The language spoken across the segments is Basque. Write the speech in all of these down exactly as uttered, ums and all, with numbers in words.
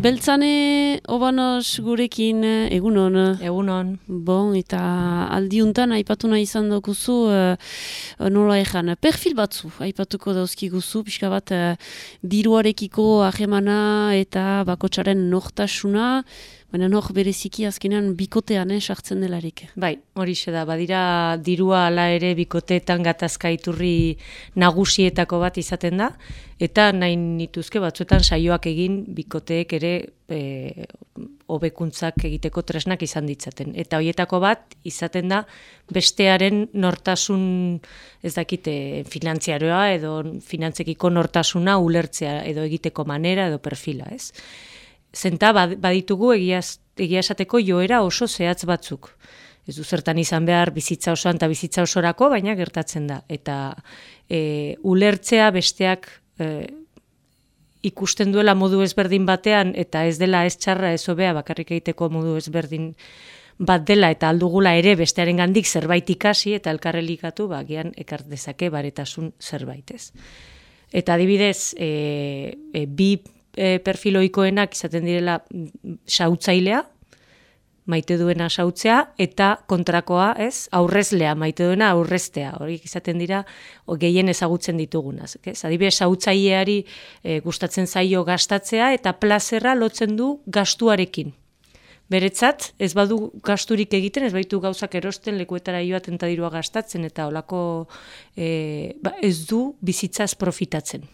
Beltzane Obanos gurekin, egunon. Egunon. Bon, eta aldiuntan aipatu nahi izan dokuzu, uh, nola ejan, perfil batzu, aipatuko dauzkiguzu, pixka bat uh, diruarekiko ahemana eta bakotsaren nortasuna, baina nor bereziki azkenean bikotean eh, sartzen delarik. Bai, horixe da, badira dirua ala ere bikoteetan gatazka iturri nagusietako bat izaten da, eta nahi nituzke batzuetan saioak egin bikoteek ere e, hobekuntzak egiteko tresnak izan ditzaten. Eta horietako bat izaten da bestearen nortasun, ez dakite, finantziaroa edo finantzekiko nortasuna ulertzea edo egiteko manera edo perfila, ez? Zenta baditugu egia esateko joera oso zehatz batzuk. Ez du zertan izan behar bizitza osoan eta bizitza osorako, baina gertatzen da. Eta e, ulertzea besteak e, ikusten duela modu ezberdin batean, eta ez dela ez txarra ez hobea bakarrik egiteko modu ezberdin bat dela, eta aldugula ere bestearen gandik zerbait ikasi, eta elkarrelikatu, ba, gian ekart dezake baretasun zerbait ez. Eta adibidez, e, e, bi E, perfiloikoenak izaten direla sautzailea, maite duena sautzea, eta kontrakoa, ez, aurrezlea, maite duena aurreztea. Horiek izaten dira gehien ezagutzen ditugunaz. Adibidez, sautzaileari e, gustatzen zaio gastatzea, eta plazerra lotzen du gastuarekin. Beretzat, ez badu gasturik egiten, ez baitu gauzak erosten, lekuetara joaten eta dirua gastatzen, eta holako e, ba, ez du bizitzaz profitatzen.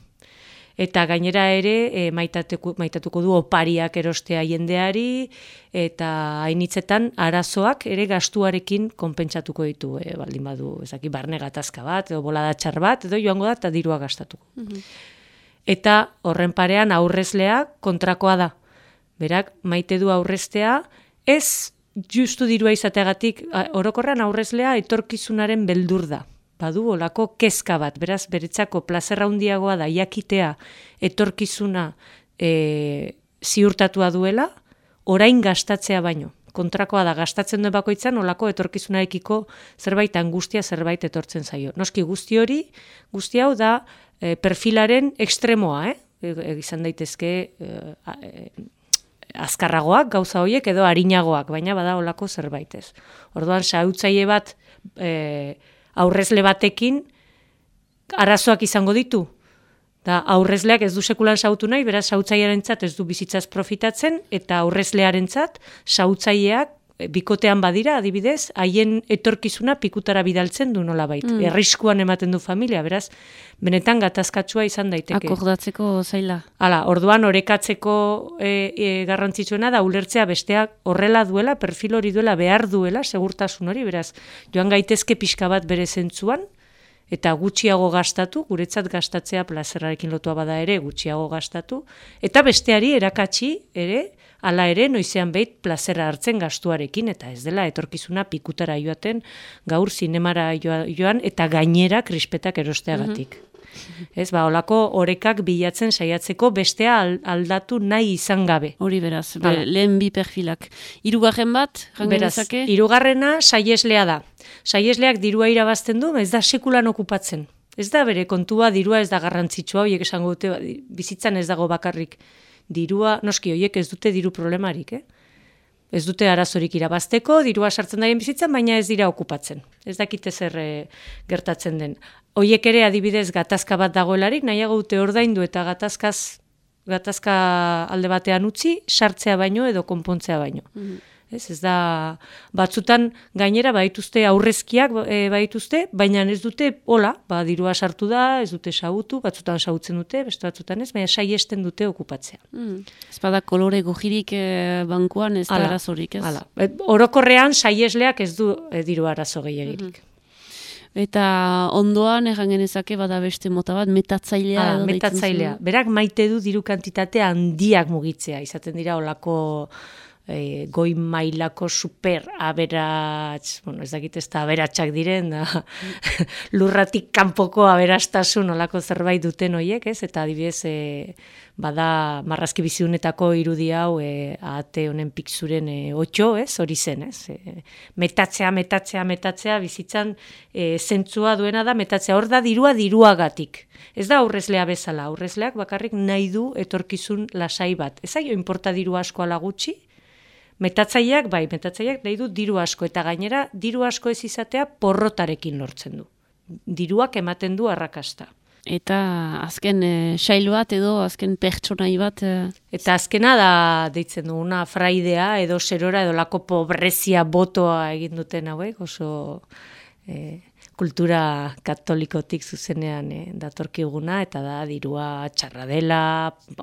Eta gainera ere e, maitatuko, maitatuko du opariak erostea jendeari, eta hainitzetan arazoak ere gastuarekin konpentsatuko ditu, e, baldin badu, ezaki, barne gatazka bat, edo bolada txar bat, edo joango da eta dirua gastatuko. Mm-hmm. Eta horren parean aurrezlea kontrakoa da. Berak, maite du aurreztea, ez justu dirua izateagatik, orokorrean aurrezlea etorkizunaren beldur da. Badu olako kezka bat, beraz, beretzako plazerra handiagoa da jakitea etorkizuna e, ziurtatua duela, orain gastatzea baino. Kontrakoa da, gastatzen duen bakoitzan, olako etorkizunarekiko zerbait angustia zerbait etortzen zaio. Noski guzti hori, guzti hau da e, perfilaren ekstremoa, eh? E, izan daitezke e, e, azkarragoak gauza horiek edo arinagoak, baina bada olako zerbait ez. Orduan, sautzaile bat e, aurrezle batekin arazoak izango ditu. Da, aurrezleak ez du sekulan sautu nahi, beraz sautzailearentzat ez du bizitzaz profitatzen, eta aurrezlearentzat sautzaileak bikotean badira, adibidez, haien etorkizuna pikutara bidaltzen du nolabait. Mm. Erriskuan ematen du familia, beraz, benetan gatazkatsua izan daiteke. Akordatzeko zaila. Hala, orduan orekatzeko e, e, garrantzitsuena da ulertzea besteak horrela duela, perfil hori duela, behar duela, segurtasun hori, beraz, joan gaitezke pixka bat bere zentzuan, eta gutxiago gastatu, guretzat gastatzea plazerrarekin lotua bada ere, gutxiago gastatu, eta besteari erakatsi ere, hala ere, noizean behit plazera hartzen gastuarekin, eta ez dela etorkizuna pikutara joaten, gaur zinemara joan, eta gainera krispetak erosteagatik. Mm-hmm. Ez, ba, olako orekak bilatzen saiatzeko bestea aldatu nahi izan gabe. Hori beraz, be, lehen bi perfilak. Hirugarren bat, beraz, hirugarrena saieslea da. Saiesleak dirua irabazten du, ez da sekulan okupatzen. Ez da bere kontua, dirua ez da garrantzitsua, horiek esango dute, bizitzan ez dago bakarrik. Dirua, noski, horiek ez dute diru problemarik, eh? Ez dute arazorik irabazteko, dirua sartzen daien bizitzan, baina ez dira okupatzen. Ez dakite zer e, gertatzen den. Horiek ere adibidez gatazka bat dagoelarik, nahiago dute ordaindu eta gatazkaz, gatazka alde batean utzi, sartzea baino edo konpontzea baino. Mm-hmm. Ez, ez da, batzutan gainera baituzte aurrezkiak e, baituzte, baina ez dute hola, ba, dirua sartu da, ez dute sautu, batzutan sautzen dute, beste batzutan ez, baina saiesten dute okupatzea. Mm. Ez bada kolore gojirik e, bankuan ez da arazorik, ez? Hala, orokorrean saiesleak ez du e, diru arazo gehiagirik. Mm-hmm. Eta ondoan, erran genezake, bada beste mota bat, metatzailea. Hala, metatzailea. Berak maite du diru kantitate handiak mugitzea, izaten dira olako e, goi mailako super aberats, bueno, ez dakit ez da aberatsak diren, da, lurratik kanpoko aberastasun olako zerbait duten hoiek, ez? Eta adibidez, e, bada marrazki biziunetako irudi hau e, ahate honen pixuren e, otxo, ez? Hori zen, ez? E, metatzea, metatzea, metatzea, bizitzan e, zentzua duena da, metatzea, hor da dirua diruagatik. Ez da aurrezlea bezala, aurrezleak bakarrik nahi du etorkizun lasai bat. Ez zaio inporta diru asko ala gutxi, metatzaileak, bai, metatzaileak nahi du diru asko, eta gainera diru asko ez izatea porrotarekin lortzen du. Diruak ematen du arrakasta. Eta azken e, sail bat edo azken pertsonai bat... E... Eta azkena da deitzen duguna fraidea edo serora edo lako pobrezia botoa egin duten hauek, oso... E, kultura katolikotik zuzenean e, datorkiguna, eta da dirua txarra dela,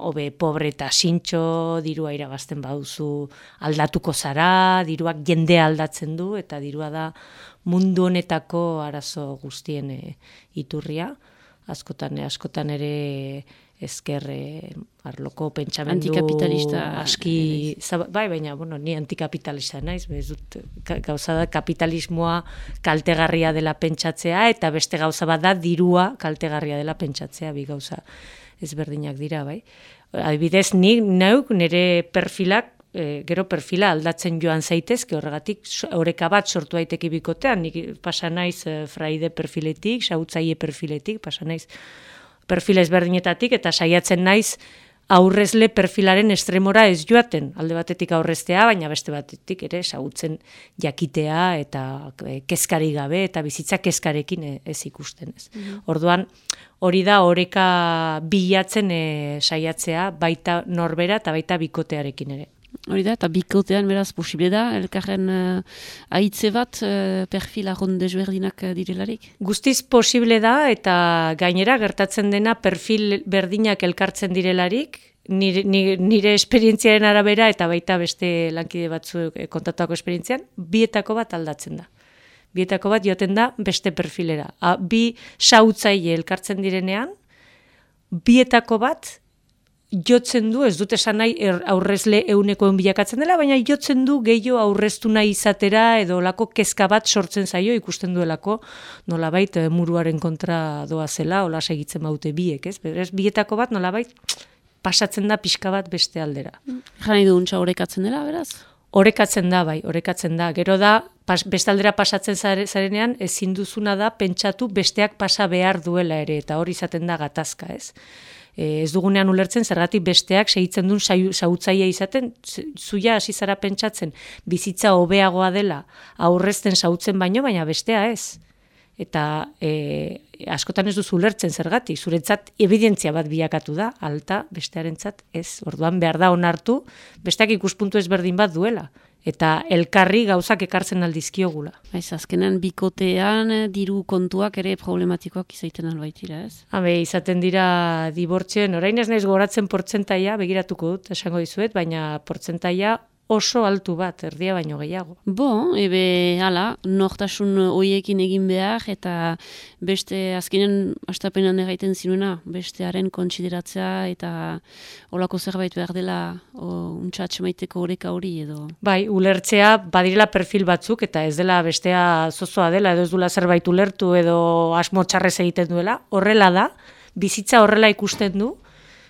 hobe pobre eta sintxo, dirua irabazten baduzu aldatuko zara, diruak jendea aldatzen du, eta dirua da mundu honetako arazo guztien e, iturria, askotan, askotan ere ezker e, arloko pentsamendu antikapitalista aski, zaba, bai, baina, bueno, ni antikapitalista naiz, ez dut, gauza da kapitalismoa kaltegarria dela pentsatzea, eta beste gauza bat da dirua kaltegarria dela pentsatzea, bi gauza ezberdinak dira, bai. Adibidez, ni neuk nire perfilak, e, gero perfila aldatzen joan zaitezke, horregatik oreka bat sortu daiteke bikotean, nik pasa naiz e, fraide perfiletik, sautzaile perfiletik, pasa naiz perfil ezberdinetatik, eta saiatzen naiz aurrezle perfilaren estremora ez joaten, alde batetik aurreztea, baina beste batetik ere ezagutzen jakitea eta kezkari gabe eta bizitza kezkarekin ez ikusten ez. Mm-hmm. Orduan, hori da oreka bilatzen e, saiatzea baita norbera eta baita bikotearekin ere. Hori da, eta bikotean beraz posible da, elkarren uh, aitze bat uh, perfil arron desberdinak uh, direlarik? Guztiz posible da, eta gainera gertatzen dena perfil berdinak elkartzen direlarik, nire, nire, nire esperientziaren arabera eta baita beste lankide batzuk kontatuako esperientzian, bietako bat aldatzen da. Bietako bat joaten da beste perfilera. A, bi sautzaile elkartzen direnean, bietako bat jotzen du, ez dut esan nahi er, aurrezle eunekoen bilakatzen dela, baina jotzen du gehiago aurreztu nahi izatera edo lako kezka bat sortzen zaio ikusten duelako nolabait muruaren kontra doa zela, hola segitzen baute biek, ez? Berez, bietako bat nolabait pasatzen da pixka bat beste aldera. Jani du untxa orekatzen dela, beraz? Orekatzen da, bai, orekatzen da. Gero da, pas, beste aldera pasatzen zarenean, ezin duzuna da pentsatu besteak pasa behar duela ere, eta hori izaten da gatazka, ez? Ez dugunean ulertzen, zergatik besteak segitzen duen sautzaia izaten, zuia hasi zara pentsatzen, bizitza hobeagoa dela, aurrezten sautzen baino, baina bestea ez. Eta e, askotan ez duzu ulertzen zergatik, zuretzat evidentzia bat bilakatu da, alta bestearentzat ez. Orduan behar da onartu, besteak ikuspuntu ezberdin bat duela. Eta elkarri gauzak ekartzen aldizkiogula. Baiz, azkenan bikotean diru kontuak ere problematikoak izaiten albaitira, ez? Habe, izaten dira dibortzioen, orain ez naiz goratzen portzentaia, begiratuko dut, esango dizuet, baina portzentaia oso altu bat, erdia baino gehiago. Bo, ebe, hala, nortasun hoiekin egin behar, eta beste, azkenen, astapenan erraiten zinuena, bestearen kontsideratzea, eta olako zerbait behar dela, untxatxe maiteko oreka hori, edo... Bai, ulertzea, badirela perfil batzuk, eta ez dela bestea zozoa dela, edo ez dula zerbait ulertu, edo asmo txarrez egiten duela, horrela da, bizitza horrela ikusten du,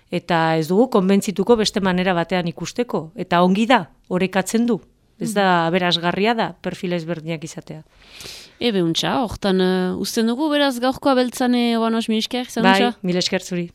eta ez dugu konbentzituko beste manera batean ikusteko. Eta ongi da, orekatzen du. Ez da, berazgarria da, perfil ezberdinak izatea. Ebe untxa, hortan uh, usten dugu, beraz gaurkoa beltzane oan os mil esker, bai, mil esker zuri.